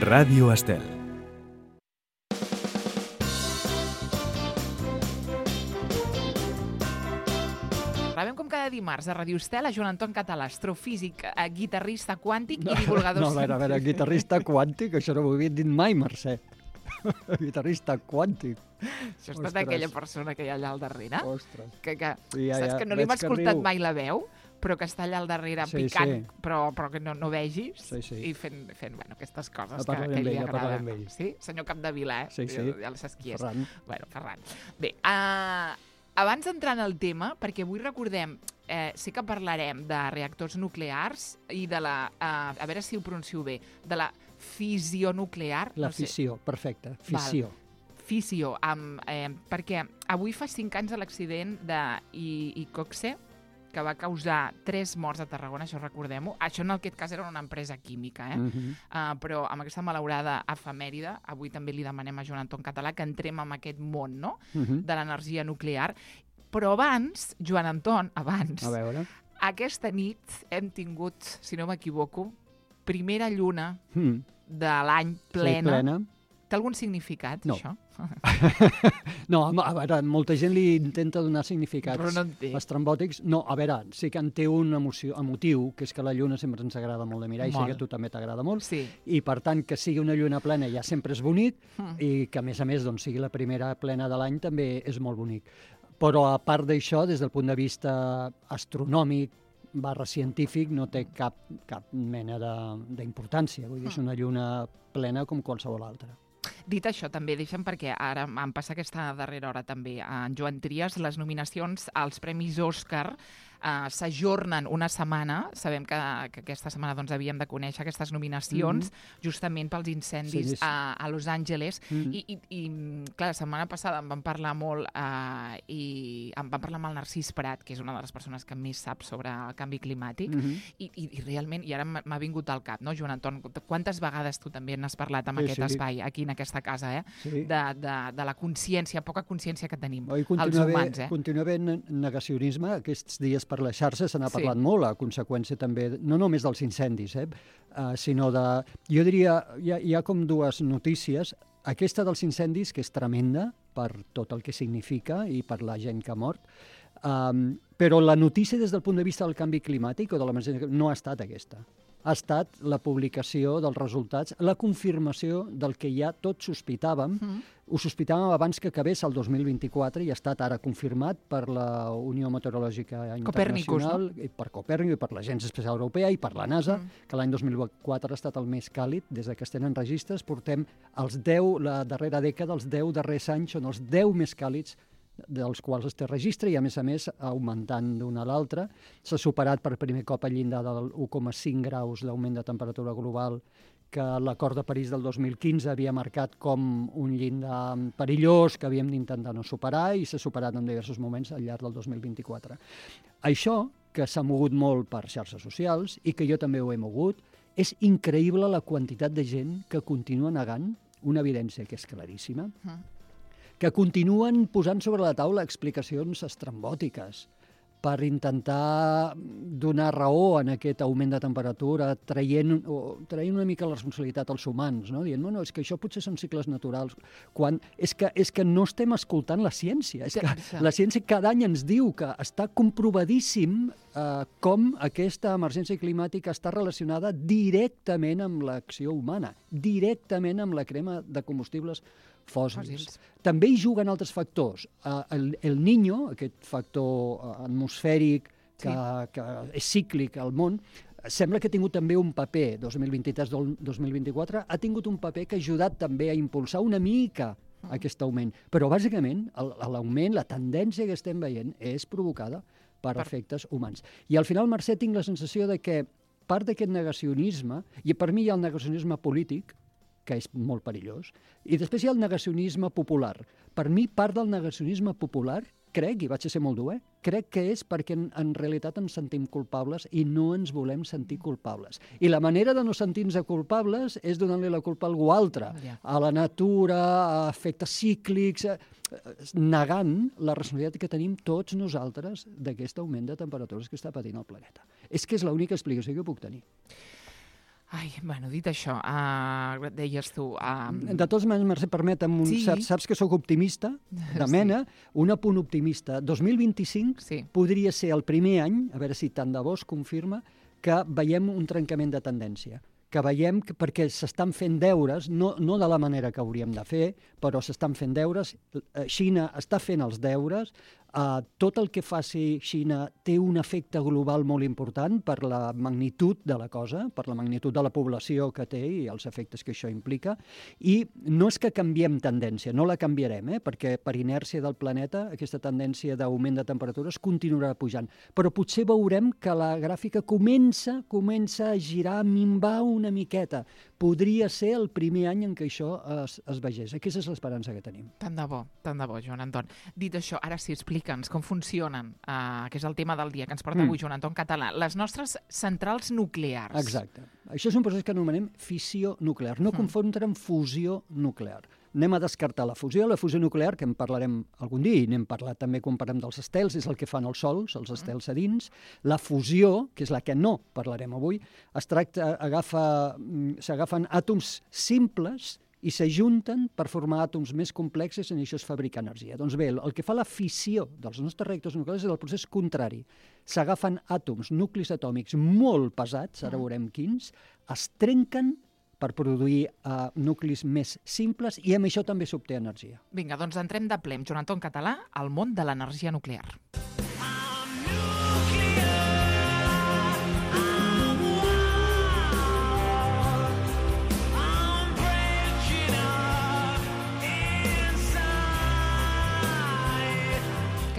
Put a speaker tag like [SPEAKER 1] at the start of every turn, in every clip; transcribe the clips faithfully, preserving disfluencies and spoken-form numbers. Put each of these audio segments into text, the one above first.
[SPEAKER 1] Ràdio Estel.
[SPEAKER 2] Rebem com cada dimarts a Ràdio Estel a Joan Anton Català, astrofísic, guitarrista quàntic i divulgador...
[SPEAKER 3] No, a veure, a veure, guitarrista quàntic, això no ho havia dit mai, Mercè. Guitarrista quàntic.
[SPEAKER 2] Això ha estat aquella persona que hi ha allà al darrere?
[SPEAKER 3] Ostres.
[SPEAKER 2] Que, que,
[SPEAKER 3] Sí, ja,
[SPEAKER 2] saps
[SPEAKER 3] ja,
[SPEAKER 2] que no li hem
[SPEAKER 3] veig que
[SPEAKER 2] escoltat
[SPEAKER 3] riu.
[SPEAKER 2] mai la veu, però que està allà al darrere
[SPEAKER 3] Sí,
[SPEAKER 2] picant,
[SPEAKER 3] sí.
[SPEAKER 2] Però, però que no, no vegis,
[SPEAKER 3] Sí, sí.
[SPEAKER 2] i fent, fent bueno, aquestes coses
[SPEAKER 3] A
[SPEAKER 2] que,
[SPEAKER 3] parlar
[SPEAKER 2] que
[SPEAKER 3] amb
[SPEAKER 2] li
[SPEAKER 3] ell, a parlar
[SPEAKER 2] agraden.
[SPEAKER 3] amb ell.
[SPEAKER 2] Sí? Senyor Capdevila, eh?
[SPEAKER 3] Sí, sí.
[SPEAKER 2] Ja, ja saps qui és.
[SPEAKER 3] Ferran.
[SPEAKER 2] Bueno, Ferran. Bé, uh, abans d'entrar en el tema, perquè avui recordem, eh, sí que parlarem de reactors nuclears i de la, uh, a veure si ho pronuncio bé, de la fissió nuclear.
[SPEAKER 3] La
[SPEAKER 2] no sé.
[SPEAKER 3] fissió, perfecte, fissió.
[SPEAKER 2] Fissió, amb, eh, perquè avui fa cinc anys de l'accident de I- Iqoxe, que va causar tres morts a Tarragona, això recordem-ho. Això en aquest cas era una empresa química, eh?
[SPEAKER 3] Mhm.
[SPEAKER 2] Uh, però amb aquesta malaurada efemèride, avui també li demanem a Joan Anton Català que entrem en aquest món, no?,
[SPEAKER 3] Mhm.
[SPEAKER 2] de l'energia nuclear. Però abans, Joan Anton, abans,
[SPEAKER 3] A veure.
[SPEAKER 2] aquesta nit hem tingut, si no m'equivoco, primera lluna
[SPEAKER 3] Mm.
[SPEAKER 2] de l'any plena.
[SPEAKER 3] Sí, plena.
[SPEAKER 2] Té algun significat,
[SPEAKER 3] No.
[SPEAKER 2] això?
[SPEAKER 3] No, home, a veure, molta gent li intenta donar significats
[SPEAKER 2] Però no en té.
[SPEAKER 3] estrambòtics. No, a veure, sí que en té un emoció, emotiu, que és que la lluna sempre ens agrada molt de mirar, i sé
[SPEAKER 2] Molt.
[SPEAKER 3] que a tu també t'agrada molt,
[SPEAKER 2] Sí.
[SPEAKER 3] i per tant que sigui una lluna plena ja sempre és bonic,
[SPEAKER 2] Mm.
[SPEAKER 3] i que a més a més doncs, sigui la primera plena de l'any també és molt bonic. Però a part d'això, des del punt de vista astronòmic barra científic, no té cap, cap mena de- d'importància. Vull dir, és una lluna plena com qualsevol altra.
[SPEAKER 2] Dit això, també deixa'm, perquè ara em passa aquesta darrera hora també, en Joan Trias, les nominacions als Premis Òscar eh, s'ajornen una setmana. Sabem que, que aquesta setmana doncs, havíem de conèixer aquestes nominacions, mm-hmm. justament pels incendis
[SPEAKER 3] Sí, sí.
[SPEAKER 2] a, a Los Angeles.
[SPEAKER 3] Mm.
[SPEAKER 2] I, i, I, clar, la setmana passada en vam parlar molt eh, i em vam parlar amb el Narcís Prat, que és una de les persones que més sap sobre el canvi climàtic,
[SPEAKER 3] Mhm.
[SPEAKER 2] i, i, i realment, i ara m'ha m'ha vingut al cap, no, Joan Anton? Quantes vegades tu també n'has parlat amb
[SPEAKER 3] Sí,
[SPEAKER 2] aquest
[SPEAKER 3] sí.
[SPEAKER 2] espai, aquí en aquesta casa, eh?
[SPEAKER 3] Sí.
[SPEAKER 2] De, de, de la consciència, poca consciència que tenim,
[SPEAKER 3] Oi,
[SPEAKER 2] els
[SPEAKER 3] continua
[SPEAKER 2] humans,
[SPEAKER 3] bé,
[SPEAKER 2] eh?
[SPEAKER 3] continua havent negacionisme. Aquests dies per les xarxes se n'ha
[SPEAKER 2] Sí.
[SPEAKER 3] parlat molt, a conseqüència també, no només dels incendis, eh, uh, sinó de... Jo diria, hi ha, hi ha com dues notícies. Aquesta dels incendis, que és tremenda per tot el que significa i per la gent que ha mort, um, però la notícia des del punt de vista del canvi climàtic o de l'emergència no ha estat aquesta. Ha estat la publicació dels resultats, la confirmació del que ja tots sospitàvem.
[SPEAKER 2] Mm.
[SPEAKER 3] Ho sospitàvem abans que acabés el dos mil vint-i-quatre i ha estat ara confirmat per la Unió Meteorològica
[SPEAKER 2] Copernicus,
[SPEAKER 3] Internacional, i per Copèrnic, i per l'Agència Espacial Europea i per la NASA,
[SPEAKER 2] Mm.
[SPEAKER 3] que l'any dos mil quatre ha estat el més càlid des de que es tenen registres. Portem els deu, la darrera dècada, els deu darrers anys són els deu més càlids dels quals es té registre i, a més a més, augmentant d'una a l'altra. S'ha superat per primer cop el llindar del u coma cinc graus d'augment de temperatura global que l'acord de París del dos mil quinze havia marcat com un llindar perillós que havíem d'intentar no superar, i s'ha superat en diversos moments al llarg del dos mil vint-i-quatre. Això, que s'ha mogut molt per xarxes socials i que jo també ho he mogut, és increïble la quantitat de gent que continua negant una evidència que és claríssima,
[SPEAKER 2] Mm.
[SPEAKER 3] que continuen posant sobre la taula explicacions estrambòtiques per intentar donar raó en aquest augment de temperatura, traient, o, traient una mica la responsabilitat als humans, no? Dient, bueno, és que això potser són cicles naturals, quan és que, és que no estem escoltant la ciència. És que la ciència cada any ens diu que està comprovadíssim eh, com aquesta emergència climàtica està relacionada directament amb l'acció humana, directament amb la crema de combustibles fòssils.
[SPEAKER 2] Fòssils.
[SPEAKER 3] També hi juguen altres factors. Uh, el, el Niño, aquest factor uh, atmosfèric que,
[SPEAKER 2] Sí.
[SPEAKER 3] que és cíclic al món, sembla que ha tingut també un paper, dos mil vint-i-tres dos mil vint-i-quatre, ha tingut un paper que ha ajudat també a impulsar una mica aquest augment. Però, bàsicament, el- l'augment, la tendència que estem veient és provocada per,
[SPEAKER 2] Per-
[SPEAKER 3] efectes humans. I al final, Mercè, tinc la sensació de que part d'aquest negacionisme, i per mi hi ha el negacionisme polític, que és molt perillós, i després hi ha el negacionisme popular. Per mi, part del negacionisme popular, crec, i vaig a ser molt dur, eh? crec que és perquè en, en realitat ens sentim culpables i no ens volem sentir culpables. I la manera de no sentir-nos culpables és donant-li la culpa a algú altre,
[SPEAKER 2] Ja.
[SPEAKER 3] a la natura, a efectes cíclics, a, negant la responsabilitat que tenim tots nosaltres d'aquest augment de temperatures que està patint el planeta. És que és l'única explicació que puc tenir.
[SPEAKER 2] Ai, bueno, dit això, uh, deies tu... Uh...
[SPEAKER 3] De tots modos, Mercè, permetem, un
[SPEAKER 2] Sí.
[SPEAKER 3] cert, saps que sóc optimista, de mena, sí. Un apunt optimista. dos mil vint-i-cinc
[SPEAKER 2] Sí.
[SPEAKER 3] podria ser el primer any, a veure si tant de bo es confirma, que veiem un trencament de tendència, que veiem que, perquè s'estan fent deures, no, no de la manera que hauríem de fer, però s'estan fent deures, Xina està fent els deures, Uh, tot el que faci Xina té un efecte global molt important per la magnitud de la cosa, per la magnitud de la població que té i els efectes que això implica, i no és que canviem tendència, no la canviarem, eh? Perquè per inèrcia del planeta aquesta tendència d'augment de temperatures continuarà pujant, però potser veurem que la gràfica comença, comença a girar, a minvar una miqueta. Podria ser el primer any en què això es, es vegés. Aquesta és l'esperança que tenim.
[SPEAKER 2] Tant de bo, tant de bo, Joan Anton. Dit això, ara sí, explica'ns com funcionen, uh, que és el tema del dia que ens porta avui, mm. Joan Anton Català, les nostres centrals nuclears.
[SPEAKER 3] Exacte. Això és un procés que anomenem fissió nuclear, no mm. confondre amb fusió nuclear. Anem a descartar la fusió. La fusió nuclear, que en parlarem algun dia, i n'hem parlat també quan parlem dels estels, és el que fan els sols, els estels a dins. La fusió, que és la que no parlarem avui, es tracta, agafa, s'agafen àtoms simples i s'ajunten per formar àtoms més complexes i això es fabrica energia. Doncs bé, el que fa la fissió dels nostres reactors nuclears és el procés contrari. S'agafen àtoms, nuclis atòmics molt pesats, ara veurem quins, es trenquen per produir uh, nuclis més simples i amb això també s'obté energia.
[SPEAKER 2] Vinga, doncs entrem de ple amb Joan Anton Català al món de l'energia nuclear.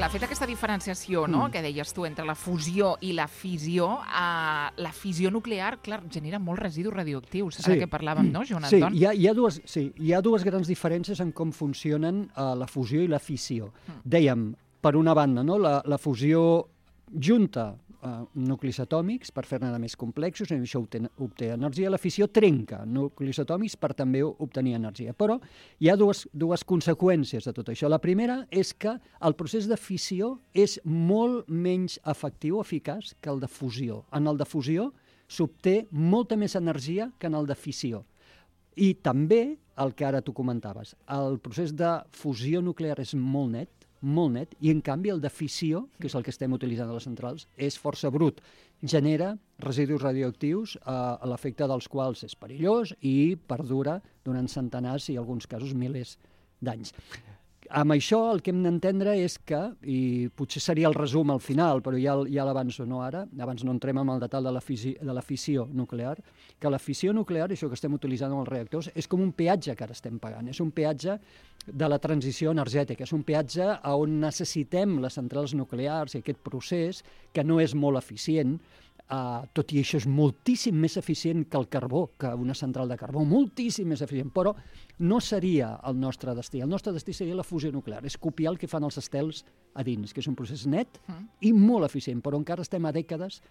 [SPEAKER 2] Clar, fet aquesta diferenciació, no?, mm. que deies tu, entre la fusió i la fissió, uh, la fissió nuclear, clar, genera molts residus radioactius, ara sí. que parlàvem, no, Joan Anton?
[SPEAKER 3] Sí, hi ha, hi ha dues, sí, hi ha dues grans diferències en com funcionen uh, la fusió i la fissió. Mm. Dèiem, per una banda, no?, la, la fusió junta Uh, nuclis atòmics per fer-ne més complexos, i això obté, obté energia. La fissió trenca nuclis atòmics per també obtenir energia. Però hi ha dues, dues conseqüències de tot això. La primera és que el procés de fissió és molt menys efectiu, eficaç, que el de fusió. En el de fusió s'obté molta més energia que en el de fissió. I també, el que ara tu comentaves, el procés de fusió nuclear és molt net, molt net, i en canvi el de fissió, que és el que estem utilitzant a les centrals, és força brut. Genera residus radioactius eh, a l'efecte dels quals és perillós i perdura durant centenars i, en alguns casos, milers d'anys. Amb això el que hem d'entendre és que, i potser seria el resum al final, però ja, ja l'avanço no ara, abans no entrem en el detall de la, fisi, de la fissió nuclear, que la fissió nuclear, això que estem utilitzant en els reactors, és com un peatge que ara estem pagant, és un peatge de la transició energètica, és un peatge on necessitem les centrals nuclears i aquest procés, que no és molt eficient, Uh, tot i això és moltíssim més eficient que el carbó, que una central de carbó, moltíssim més eficient, però no seria el nostre destí. El nostre destí seria la fusió nuclear, és copiar el que fan els estels a dins, que és un procés net mm. i molt eficient, però encara estem a dècades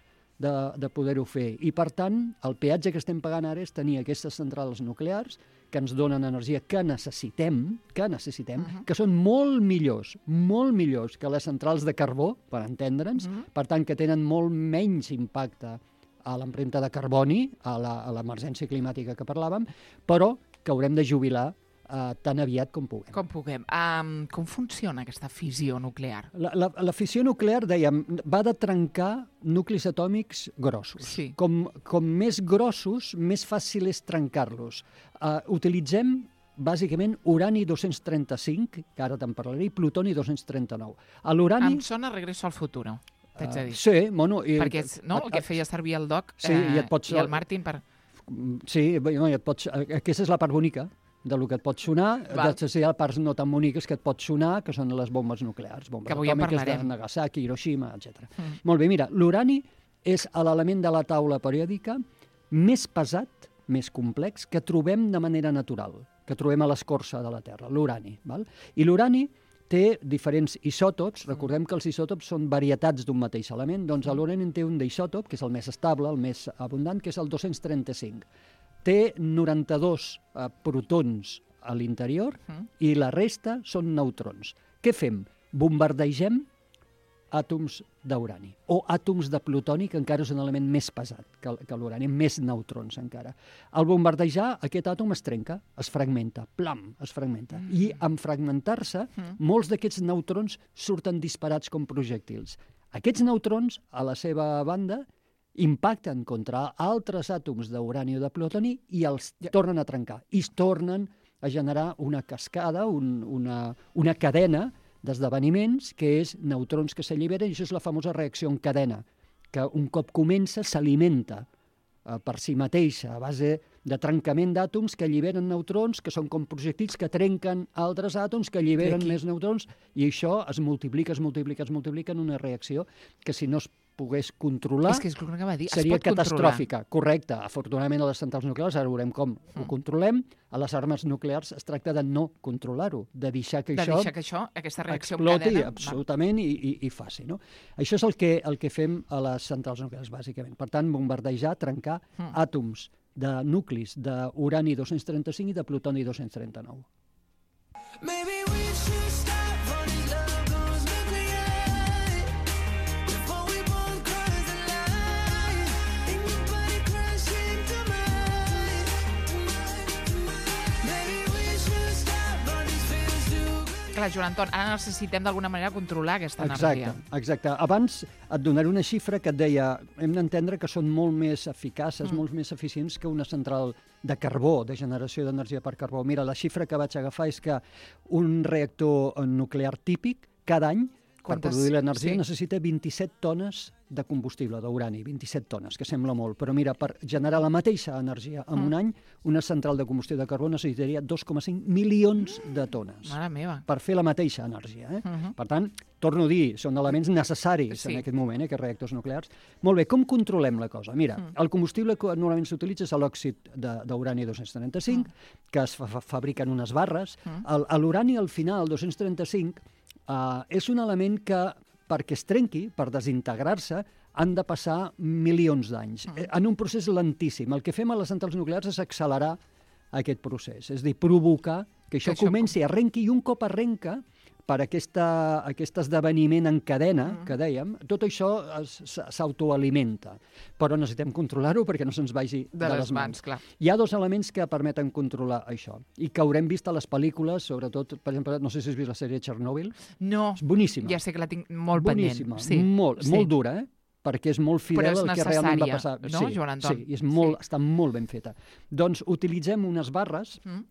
[SPEAKER 3] de, de poder-ho fer. I, per tant, el peatge que estem pagant ara és tenir aquestes centrals nuclears que ens donen energia que necessitem, que necessitem, uh-huh. que són molt millors, molt millors que les centrals de carbó, per entendre'ns, uh-huh. per tant, que tenen molt menys impacte a l'empremta de carboni, a l'emergència climàtica que parlàvem, però que haurem de jubilar Uh, tan aviat com puguem.
[SPEAKER 2] Com puguem. Um, com funciona aquesta fissió nuclear?
[SPEAKER 3] La, la, la fissió nuclear, dèiem, va de trencar nuclis atòmics grossos.
[SPEAKER 2] Sí.
[SPEAKER 3] Com, com més grossos, més fàcil és trencar-los. Uh, utilitzem bàsicament urani dos-cents trenta-cinc, que ara te'n parlaré, i plutoni dos-cents trenta-nou. A l'urani...
[SPEAKER 2] Em sona Regreso al futuro, t'haig de dir.
[SPEAKER 3] Uh, sí, bueno... I,
[SPEAKER 2] Perquè és, no, el que feia servir el Doc
[SPEAKER 3] sí,
[SPEAKER 2] eh,
[SPEAKER 3] i, et pots,
[SPEAKER 2] i el Martin per...
[SPEAKER 3] Sí, no, i et pots, aquesta és la part bonica de lo que et pot sonar, després hi ha parts no tan boniques que et pot sonar, que són les bombes nuclears, bombes atòmiques de Nagasaki, Hiroshima, etcètera. Mm. Molt bé, mira, l'urani és l'element de la taula periòdica més pesat, més complex, que trobem de manera natural, que trobem a l'escorça de la Terra, l'urani. I l'urani té diferents isòtops, recordem que els isòtops són varietats d'un mateix element, doncs l'urani té un d'isòtop, que és el més estable, el més abundant, que és el dos-cents trenta-cinc. Té noranta-dos eh, protons a l'interior uh-huh. i la resta són neutrons. Què fem? Bombardegem àtoms d'urani, o àtoms de plutoni, que encara és un element més pesat que, que l'urani, més neutrons encara. Al bombardejar, aquest àtom es trenca, es fragmenta, plam, es fragmenta. Mm. I en fragmentar-se, mm. molts d'aquests neutrons surten disparats com projectils. Aquests neutrons, a la seva banda, impacten contra altres àtoms d'urani o de plutoni i els tornen a trencar. I es tornen a generar una cascada, un, una, una cadena d'esdeveniments, que és neutrons que s'alliberen, i això és la famosa reacció en cadena, que un cop comença s'alimenta eh, per si mateixa, a base de trencament d'àtoms que alliberen neutrons, que són com projectils que trenquen altres àtoms, que alliberen més neutrons, i això es multiplica, es multiplica, es multiplica en una reacció que si no es pogués controlar,
[SPEAKER 2] és que és el que va dir.
[SPEAKER 3] seria
[SPEAKER 2] es pot
[SPEAKER 3] catastròfica.
[SPEAKER 2] Controlar.
[SPEAKER 3] Correcte. Afortunadament a les centrals nuclears, ara veurem com mm. ho controlem. A les armes nuclears es tracta de no controlar-ho, de deixar que
[SPEAKER 2] de
[SPEAKER 3] això,
[SPEAKER 2] deixar que això, aquesta reacció
[SPEAKER 3] exploti
[SPEAKER 2] en cadena,
[SPEAKER 3] absolutament i, i, i faci. No? Això és el que, el que fem a les centrals nuclears, bàsicament. Per tant, bombardejar, trencar mm. àtoms de nuclis d'urani dos-cents trenta-cinc i de plutoni dos-cents trenta-nou.
[SPEAKER 1] Maybe we should stop running love goes nuclear before we both cross the line and your body crash into mine. Maybe we should stop all these feels too good.
[SPEAKER 2] Clar, Joan Anton, ara necessitem d'alguna manera controlar aquesta
[SPEAKER 3] Exacte,
[SPEAKER 2] energia.
[SPEAKER 3] exacte. Abans et donaré una xifra que et deia, hem d'entendre que són molt més eficaces, mm. molt més eficients que una central de carbó, de generació d'energia per carbó. Mira, la xifra que vaig agafar és que un reactor nuclear típic, cada any,
[SPEAKER 2] Quantes?
[SPEAKER 3] per produir l'energia,
[SPEAKER 2] Sí.
[SPEAKER 3] necessita vint-i-set tones de combustible, d'urani, vint-i-set tones, que sembla molt, però mira, per generar la mateixa energia en mm. un any, una central de combustió de carbó necessitaria dos coma cinc milions de tones
[SPEAKER 2] Mare meva.
[SPEAKER 3] per fer la mateixa energia. Eh?
[SPEAKER 2] Uh -huh.
[SPEAKER 3] Per tant, torno a dir, són elements necessaris
[SPEAKER 2] Sí.
[SPEAKER 3] en aquest moment, eh, aquests reactors nuclears. Molt bé, com controlem la cosa? Mira, mm. el combustible que normalment s'utilitza és l'òxid d'urani dos-cents trenta-cinc, mm. que es fa fabriquen unes barres. Mm. L'urani, al final, dos-cents trenta-cinc, uh, és un element que, perquè es trenqui, per desintegrar-se, han de passar milions d'anys, mm. en un procés lentíssim. El que fem a les centrals nuclears és accelerar aquest procés, és a dir, provocar que això, que això comenci, arrenqui, i un cop arrenca, per aquesta, aquest esdeveniment en cadena, mm. que dèiem, tot això s'autoalimenta. Però necessitem controlar-ho perquè no se'ns vagi de, de les mans.
[SPEAKER 2] Clar.
[SPEAKER 3] Hi ha dos elements que permeten controlar això, i que haurem vist a les pel·lícules, sobretot, per exemple, no sé si has vist la sèrie Chernobyl.
[SPEAKER 2] No,
[SPEAKER 3] És boníssima.
[SPEAKER 2] ja sé que la tinc molt
[SPEAKER 3] boníssima,
[SPEAKER 2] pendent. Sí.
[SPEAKER 3] Molt,
[SPEAKER 2] sí.
[SPEAKER 3] molt dura, eh? perquè és molt fidel al que realment va passar.
[SPEAKER 2] No,
[SPEAKER 3] sí,
[SPEAKER 2] Joan Anton?
[SPEAKER 3] Sí, és molt,
[SPEAKER 2] Sí.
[SPEAKER 3] està molt ben feta. Doncs utilitzem unes barres
[SPEAKER 2] Mm.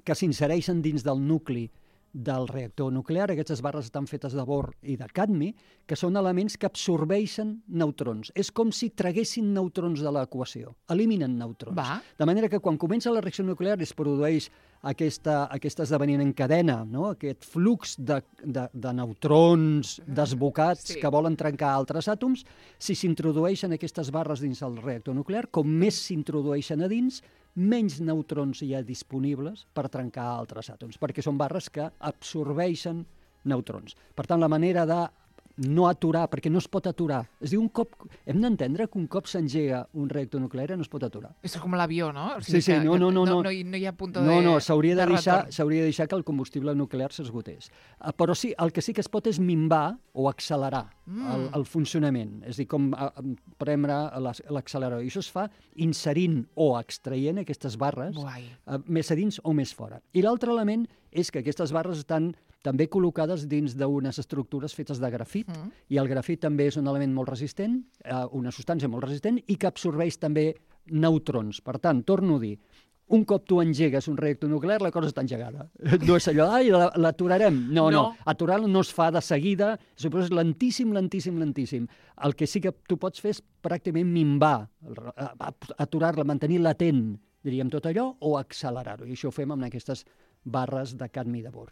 [SPEAKER 3] que s'insereixen dins del nucli del reactor nuclear. Aquestes barres estan fetes de bor i de cadmi, que són elements que absorbeixen neutrons. És com si traguessin neutrons de l'equació, eliminen neutrons.
[SPEAKER 2] Va.
[SPEAKER 3] De manera que quan comença la reacció nuclear es produeix aquesta, aquest esdeveniment en cadena, no? Aquest flux de, de, de neutrons desbocats
[SPEAKER 2] Sí.
[SPEAKER 3] que volen trencar altres àtoms. Si s'introdueixen aquestes barres dins el reactor nuclear, com més s'introdueixen a dins, menys neutrons hi ha disponibles per trencar altres àtoms, perquè són barres que absorbeixen neutrons. Per tant, la manera de no aturar, perquè no es pot aturar. És a dir, un cop, hem d'entendre que un cop s'engega un reactor nuclear no es pot aturar.
[SPEAKER 2] És com l'avió, no? O
[SPEAKER 3] Sí, sí,
[SPEAKER 2] que-
[SPEAKER 3] no,
[SPEAKER 2] que
[SPEAKER 3] no, no, no.
[SPEAKER 2] No, hi- no hi ha punt de
[SPEAKER 3] No, no, s'hauria de,
[SPEAKER 2] de
[SPEAKER 3] deixar,
[SPEAKER 2] retorn.
[SPEAKER 3] s'hauria de deixar que el combustible nuclear s'esgotés. Uh, però sí, el que sí que es pot és minvar o accelerar
[SPEAKER 2] Mm.
[SPEAKER 3] el, el funcionament. És a dir, com uh, premre l'as- l'accelerador. I això es fa inserint o extraient aquestes barres,
[SPEAKER 2] Guai.
[SPEAKER 3] uh, més a dins o més fora. I l'altre element és que aquestes barres estan també col·locades dins d'unes estructures fetes de grafit,
[SPEAKER 2] Mm.
[SPEAKER 3] i el grafit també és un element molt resistent, eh, una substància molt resistent, i que absorbeix també neutrons. Per tant, torno a dir, un cop tu engegues un reactor nuclear, la cosa està engegada. No és allò, ai, la- l'aturarem. No, no,
[SPEAKER 2] No.
[SPEAKER 3] aturar-la no es fa de seguida, és un procés lentíssim, lentíssim, lentíssim. El que sí que tu pots fer és pràcticament minvar, aturar-la, mantenir latent, diríem, tot allò, o accelerar-ho. I això ho fem amb aquestes barres de cadmi i de bor.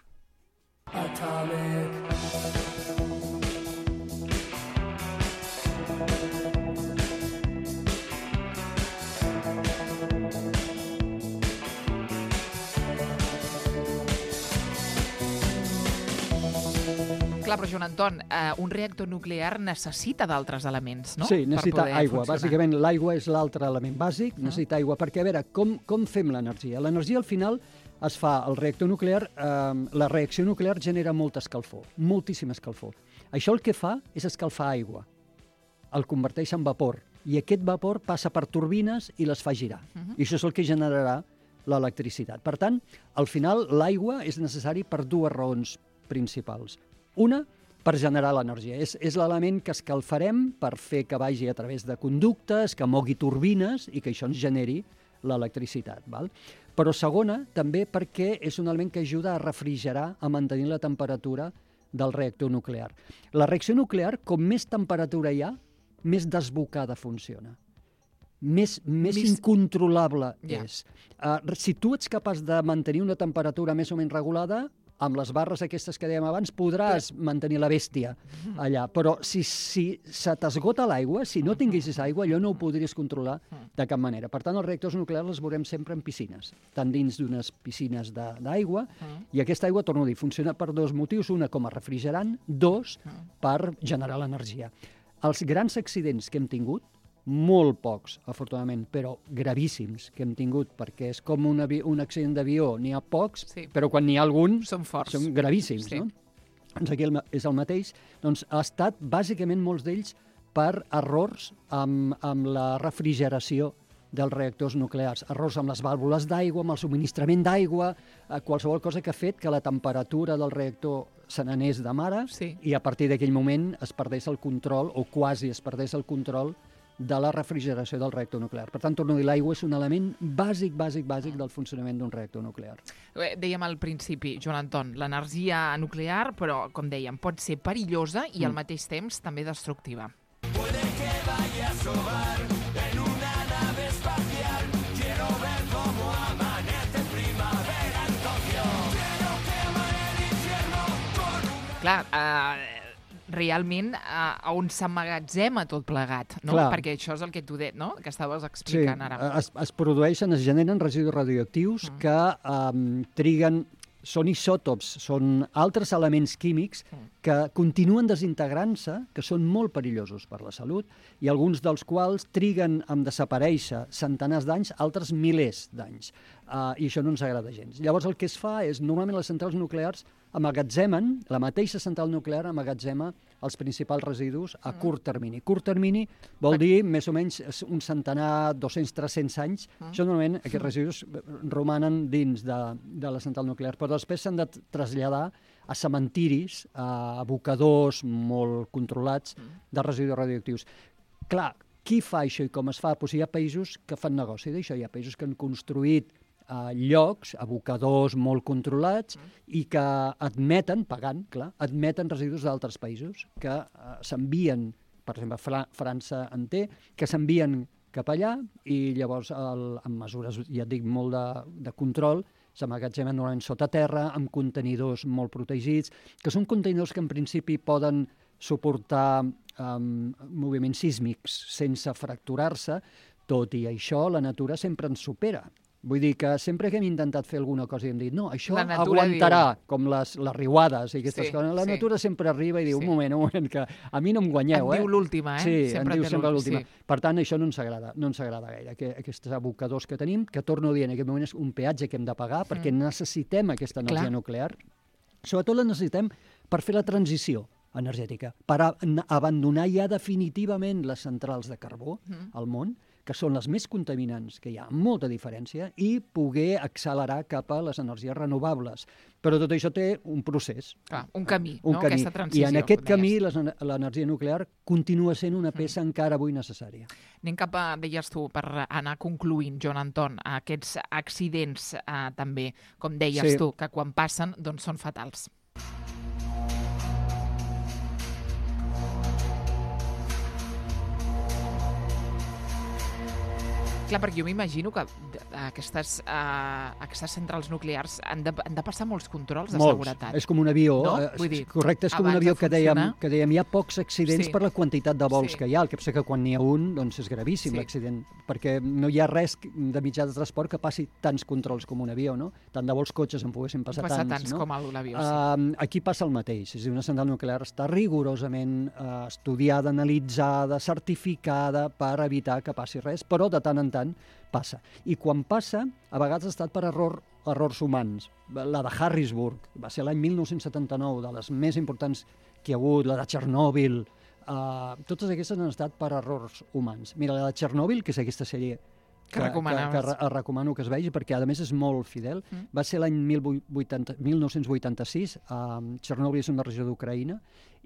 [SPEAKER 2] Clar, però Joan Anton, eh, un reactor nuclear necessita d'altres elements, no?
[SPEAKER 3] Sí, necessita
[SPEAKER 2] Per poder
[SPEAKER 3] aigua.
[SPEAKER 2] funcionar.
[SPEAKER 3] Bàsicament, l'aigua és l'altre element bàsic, uh -huh. necessita aigua. Perquè, a veure, com, com fem l'energia? L'energia, al final, es fa al reactor nuclear, eh, la reacció nuclear genera molta escalfor, moltíssima escalfor. Això el que fa és escalfar aigua, el converteix en vapor, i aquest vapor passa per turbines i les fa girar. Uh-huh. I això és el que generarà l'electricitat. Per tant, al final, l'aigua és necessari per dues raons principals. Una, per generar l'energia. És, és l'element que escalfarem per fer que vagi a través de conductes, que mogui turbines i que això ens generi l'electricitat. Val? Però segona, també perquè és un element que ajuda a refrigerar, a mantenir la temperatura del reactor nuclear. La reacció nuclear, com més temperatura hi ha, més desbocada funciona. Més, més, més incontrolable yeah. és. Uh, si tu ets capaç de mantenir una temperatura més o menys regulada, amb les barres aquestes que dèiem abans, podràs però... mantenir la bèstia allà. Però si, si se t'esgota l'aigua, si no tinguessis aigua, allò no ho podries controlar de cap manera. Per tant, els reactors nuclears els veurem sempre en piscines, tant dins d'unes piscines d'aigua, i aquesta aigua, torno a dir, funciona per dos motius. Una, com a refrigerant, dos, per generar l'energia. Els grans accidents que hem tingut, molt pocs, afortunadament, però gravíssims que hem tingut, perquè és com un, un accident d'avió, n'hi ha pocs, sí. però quan n'hi ha algun,
[SPEAKER 2] són forts.
[SPEAKER 3] Són gravíssims, sí. no? Doncs aquí és el mateix. Doncs ha estat, bàsicament, molts d'ells per errors amb, amb la refrigeració dels reactors nuclears, errors amb les vàlvules d'aigua, amb el subministrament d'aigua, eh, qualsevol cosa que ha fet que la temperatura del reactor se n'anés de mare sí. i a partir d'aquell moment es perdés el control, o quasi es perdés el control, de la refrigeració del reactor nuclear. Per tant, torno a dir, l'aigua és un element bàsic, bàsic, bàsic del funcionament d'un reactor nuclear.
[SPEAKER 2] Dèiem al principi, Joan Anton, l'energia nuclear, però, com dèiem, pot ser perillosa i mm. al mateix temps també destructiva. Puede que vaya a sobar en una nave espacial. Quiero ver cómo amanece primavera en Tokio. Quiero quemar el infierno con un... Clar, eh... realment a, a on s'emmagatzema tot plegat, no? Clar. Perquè això és el que tu de, no? que estaves explicant
[SPEAKER 3] sí,
[SPEAKER 2] ara.
[SPEAKER 3] Es, es produeixen, es generen residus radioactius mm. que um, triguen, són isòtops, són altres elements químics mm. que continuen desintegrant-se, que són molt perillosos per la salut, i alguns dels quals triguen a desaparèixer centenars d'anys, altres milers d'anys. Uh, I això no ens agrada gens. Llavors el que es fa és, normalment les centrals nuclears amagatzemen, la mateixa central nuclear amagatzema els principals residus a curt termini. Curt termini vol dir més o menys un centenar, dos-cents, tres-cents anys. Mm. Això normalment, aquests residus romanen dins de, de la central nuclear, però després s'han de traslladar a cementiris, a abocadors molt controlats de residus radioactius. Clar, qui fa això i com es fa? Doncs hi ha països que fan negoci d'això, hi ha països que han construït a llocs, abocadors molt controlats mm. i que admeten, pagant, clar, admeten residus d'altres països que uh, s'envien, per exemple, Fra França en té, que s'envien cap allà i llavors el, amb mesures, ja et dic, molt de, de control, s'emmagatzemen normalment sota terra, amb contenidors molt protegits, que són contenidors que en principi poden suportar um, moviments sísmics sense fracturar-se, tot i això la natura sempre ens supera. Vull dir que sempre que hem intentat fer alguna cosa i hem dit no, això aguantarà, diu... com les, les riuades i aquestes sí, coses. La sí. natura sempre arriba i diu, sí. un moment, un moment, que a mi no em guanyeu.
[SPEAKER 2] En
[SPEAKER 3] eh?
[SPEAKER 2] diu l'última, eh?
[SPEAKER 3] Sí,
[SPEAKER 2] sempre
[SPEAKER 3] en diu sempre l'última.
[SPEAKER 2] Sí.
[SPEAKER 3] Per tant, això no ens agrada, no ens agrada gaire, que, aquests abocadors que tenim, que torno a dir, en aquest moment és un peatge que hem de pagar perquè mm. necessitem aquesta energia Clar. nuclear. Sobretot la necessitem per fer la transició energètica, per a, abandonar ja definitivament les centrals de carbó mm. al món, que són les més contaminants, que hi ha molta diferència, i poder accelerar cap a les energies renovables. Però tot això té un procés.
[SPEAKER 2] Ah, un camí,
[SPEAKER 3] un
[SPEAKER 2] no?
[SPEAKER 3] camí.
[SPEAKER 2] Aquesta transició.
[SPEAKER 3] I en aquest camí l'energia nuclear continua sent una peça mm. encara avui necessària.
[SPEAKER 2] Anem cap a, deies tu, per anar concluint, Joan Anton, aquests accidents eh, també, com deies sí. tu, que quan passen doncs són fatals. Clar, perquè jo m'imagino que aquestes, uh, aquestes centrals nuclears han de, han de passar molts controls de molts. seguretat.
[SPEAKER 3] És com un avió.
[SPEAKER 2] No?
[SPEAKER 3] Eh,
[SPEAKER 2] Vull dir,
[SPEAKER 3] correcte, és com un avió que dèiem, que dèiem hi ha pocs accidents
[SPEAKER 2] sí.
[SPEAKER 3] per la quantitat de vols
[SPEAKER 2] sí.
[SPEAKER 3] que hi ha. El que passa que quan n'hi ha un, doncs és gravíssim sí. l'accident, perquè no hi ha res de mitjà de transport que passi tants controls com un avió, no? Tant de vols cotxes en poguessin passar
[SPEAKER 2] Passa
[SPEAKER 3] tants.
[SPEAKER 2] tants
[SPEAKER 3] no?
[SPEAKER 2] com l'avió, sí.
[SPEAKER 3] Uh, aquí passa el mateix. És a dir, una central nuclear està rigorosament uh, estudiada, analitzada, certificada per evitar que passi res, però de tant en tant passa. I quan passa, a vegades ha estat per error, errors humans. La de Harrisburg va ser l'any mil nou-cents setanta-nou, de les més importants que hi ha hagut, la de Txernòbil, uh, totes aquestes han estat per errors humans. Mira, la de Txernòbil, que és aquesta sèrie
[SPEAKER 2] Que recomanaves.
[SPEAKER 3] que, que re- recomano que es vegi, perquè a més és molt fidel,
[SPEAKER 2] Mm.
[SPEAKER 3] va ser l'any mil nou-cents vuitanta-sis, uh, Txernòbil és una regió d'Ucraïna,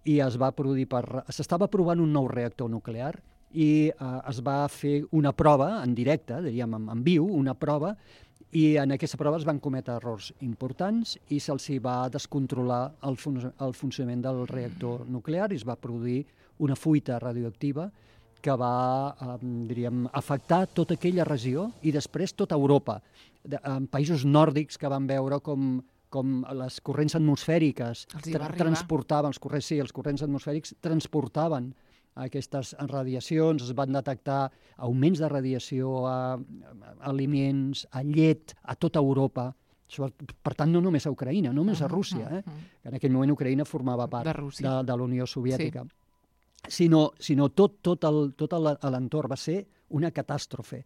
[SPEAKER 3] i es va produir per... S'estava provant un nou reactor nuclear i uh, es va fer una prova en directe, diríem en, en viu, una prova, i en aquesta prova es van cometre errors importants i se'ls hi va descontrolar el, fun el funcionament del reactor nuclear i es va produir una fuita radioactiva que va, eh, diríem, afectar tota aquella regió i després tota Europa. De, en països nòrdics que van veure com, com les corrents atmosfèriques
[SPEAKER 2] Els hi va
[SPEAKER 3] tra
[SPEAKER 2] arribar.
[SPEAKER 3] transportaven, els corrents, sí, els corrents atmosfèrics transportaven aquestes radiacions, es van detectar augments de radiació a, a aliments, a llet, a tota Europa. Per tant, no només a Ucraïna, no només a Rússia, eh? En aquell moment Ucraïna formava part
[SPEAKER 2] De Rússia.
[SPEAKER 3] de, de la Unió Soviètica. Sí. Sinó, sinó tot, tot el- tot el- l'entorn va ser una catàstrofe.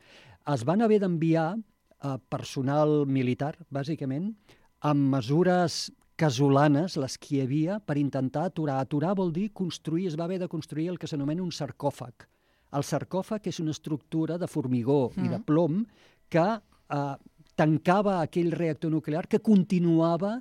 [SPEAKER 3] Es van haver d'enviar eh, personal militar, bàsicament, amb mesures casolanes, les que hi havia, per intentar aturar. Aturar vol dir construir, es va haver de construir el que s'anomena un sarcòfag. El sarcòfag és una estructura de formigó mm. i de plom que eh, tancava aquell reactor nuclear que continuava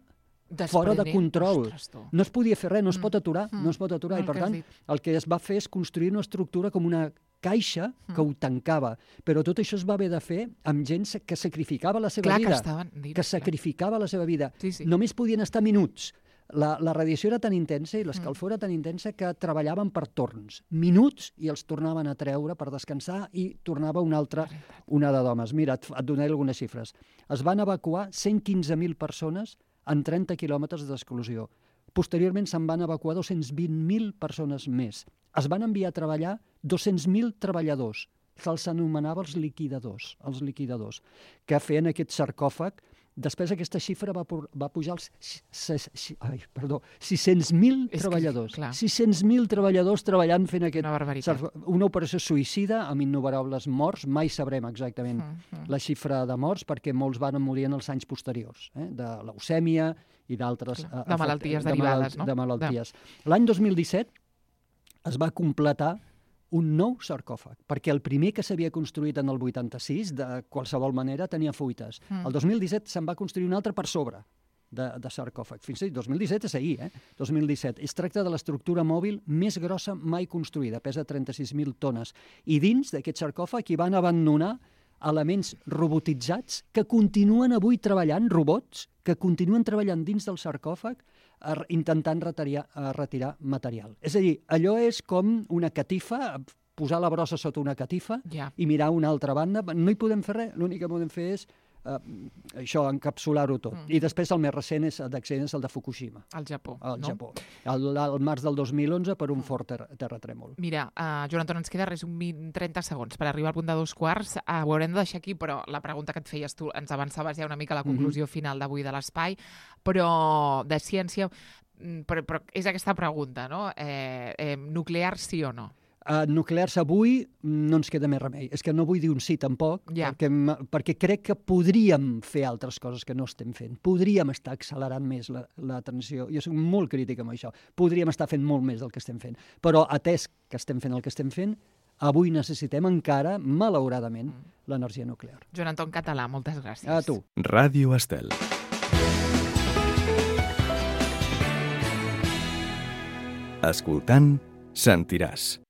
[SPEAKER 3] fora de control.
[SPEAKER 2] Ostres, tu.
[SPEAKER 3] No es podia fer res, no es
[SPEAKER 2] Mm.
[SPEAKER 3] pot aturar,
[SPEAKER 2] Mm.
[SPEAKER 3] no es pot aturar.
[SPEAKER 2] El
[SPEAKER 3] I, per
[SPEAKER 2] que has
[SPEAKER 3] tant,
[SPEAKER 2] dit.
[SPEAKER 3] el que es va fer és construir una estructura com una caixa que ho tancava. Però tot això es va haver de fer amb gent que sacrificava la seva
[SPEAKER 2] Clar que
[SPEAKER 3] vida.
[SPEAKER 2] estaven dins,
[SPEAKER 3] que
[SPEAKER 2] clar.
[SPEAKER 3] sacrificava la seva vida.
[SPEAKER 2] Sí, sí.
[SPEAKER 3] Només podien estar minuts. La, la radiació era tan intensa i l'escalfor era tan intensa que treballaven per torns. Minuts i els tornaven a treure per descansar i tornava una altra onada d'homes. Mira, et, et donaré algunes xifres. Es van evacuar cent quinze mil persones en trenta quilòmetres d'exclusió. Posteriorment se'n van evacuar dos-cents vint mil persones més. Es van enviar a treballar dos-cents mil treballadors. Se'ls anomenava els liquidadors, els liquidadors, que feien aquest sarcòfag. Després aquesta xifra va, por, va pujar als ses, si, ai, perdó, sis-cents mil
[SPEAKER 2] És que,
[SPEAKER 3] treballadors.
[SPEAKER 2] clar.
[SPEAKER 3] sis-cents mil treballadors treballant fent aquest...
[SPEAKER 2] Una barbaritat.
[SPEAKER 3] sarcò- Una operació suïcida amb innumerables morts. Mai sabrem exactament
[SPEAKER 2] Mm, mm.
[SPEAKER 3] la xifra de morts perquè molts van morir en els anys posteriors, eh? De leucèmia i d'altres...
[SPEAKER 2] Clar,
[SPEAKER 3] eh,
[SPEAKER 2] de
[SPEAKER 3] efectes-
[SPEAKER 2] malalties
[SPEAKER 3] de
[SPEAKER 2] derivades, no?
[SPEAKER 3] De malalties. L'any dos mil disset es va completar un nou sarcòfag, perquè el primer que s'havia construït en el vuitanta-sis, de qualsevol manera, tenia fuites.
[SPEAKER 2] Mm.
[SPEAKER 3] El dos mil disset se'n va construir un altre per sobre de, de sarcòfag. Fins i tot dos mil disset és ahir, eh? dos mil disset. Es tracta de l'estructura mòbil més grossa mai construïda, pesa trenta-sis mil tones. I dins d'aquest sarcòfag hi van abandonar elements robotitzats que continuen avui treballant, robots, que continuen treballant dins del sarcòfag eh, intentant retirar, eh, retirar material. És a dir, allò és com una catifa, posar la brossa sota una catifa
[SPEAKER 2] Ja.
[SPEAKER 3] i mirar a una altra banda. No hi podem fer res, l'únic que podem fer és eh, això, encapsular-ho tot.
[SPEAKER 2] Mm.
[SPEAKER 3] I després el més recent és d'accident, és el de Fukushima,
[SPEAKER 2] Al Japó.
[SPEAKER 3] al
[SPEAKER 2] no?
[SPEAKER 3] Japó. El, el març del dos mil onze per un fort ter terratrèmol.
[SPEAKER 2] Mira, uh, Joan Anton, ens queda res, un vint, trenta segons per arribar al punt de dos quarts. Uh, ho haurem de deixar aquí, però la pregunta que et feies tu, ens avançaves ja una mica a la conclusió final d'avui de l'Espai, però de ciència, mm, però, però és aquesta pregunta, no? Eh, eh, nuclear sí o no?
[SPEAKER 3] Uh, nuclears avui no ens queda més remei. És que no vull dir un sí tampoc,
[SPEAKER 2] Ja.
[SPEAKER 3] perquè, m- perquè crec que podríem fer altres coses que no estem fent. Podríem estar accelerant més la, la transició. Jo soc molt crític amb això. Podríem estar fent molt més del que estem fent. Però atès que estem fent el que estem fent, avui necessitem encara, malauradament, l'energia nuclear.
[SPEAKER 2] Joan Anton Català, moltes gràcies.
[SPEAKER 3] A tu.
[SPEAKER 4] Ràdio Estel. Escoltant, sentiràs.